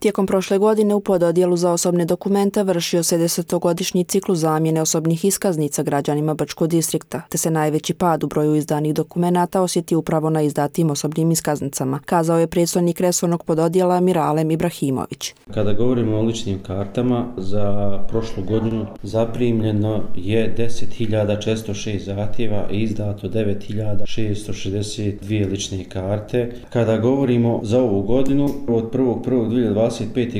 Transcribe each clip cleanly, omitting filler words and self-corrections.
Tijekom prošle godine u pododjelu za osobne dokumente vršio se 10-godišnji ciklus zamjene osobnih iskaznica građanima Brčkog distrikta, te se najveći pad u broju izdanih dokumenata osjeti upravo na izdatim osobnim iskaznicama, kazao je predstojnik resornog pododjela Miralem Ibrahimović. Kada govorimo o ličnim kartama, za prošlu godinu zaprimljeno je 10.406 zahtjeva i izdato 9.662 lične karte. Kada govorimo za ovu godinu, od 1.1.2025.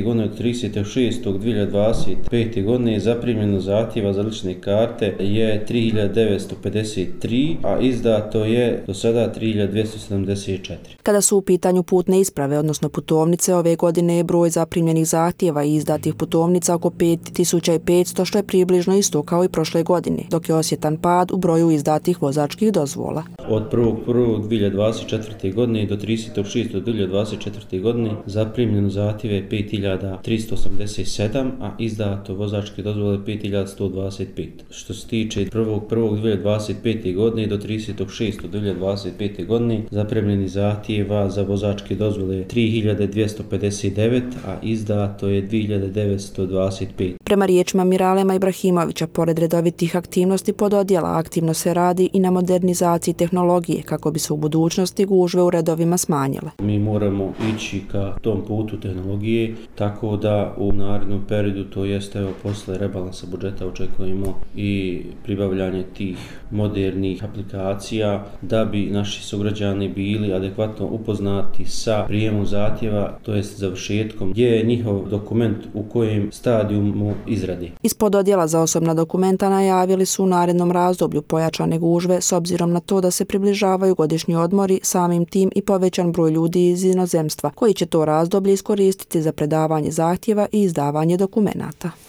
godine do 30.6.2025. godine zaprimljeno zahtjeva za lične karte je 3.953, a izdato je do sada 3.274. Kada su u pitanju putne isprave, odnosno putovnice, ove godine je broj zaprimljenih zahtjeva i izdatih putovnica oko 5.500, što je približno isto kao i prošle godine, dok je osjetan pad u broju izdatih vozačkih dozvola. Od 1.1.2024. godine do 30.6.2024. godine zaprimljeno zahtjeve 5.387, a izdato vozačke dozvole 5.125. Što se tiče 1.1.2025. godine do 30.6.2025. godine zaprimljeni zahtjeva za vozačke dozvole 3.259, a izdato je 2.925. Prema riječima Miralema Ibrahimovića, pored redovitih aktivnosti pododjela, aktivno se radi i na modernizaciji tehnologije kako bi se u budućnosti gužve u redovima smanjile. Mi moramo ići ka tom putu tehnologije, tako da u narednom periodu, to jeste evo posle rebalansa budžeta, očekujemo i pribavljanje tih modernih aplikacija da bi naši sugrađani bili adekvatno upoznati sa prijemom zahtjeva, to jest završetkom, gdje je njihov dokument u kojem stadijumu izradi. Iz pododjela za osobna dokumenta najavili su u narednom razdoblju pojačane gužve s obzirom na to da se približavaju godišnji odmori, samim tim i povećan broj ljudi iz inozemstva koji će to razdoblje iskoristiti za predavanje zahtjeva i izdavanje dokumenata.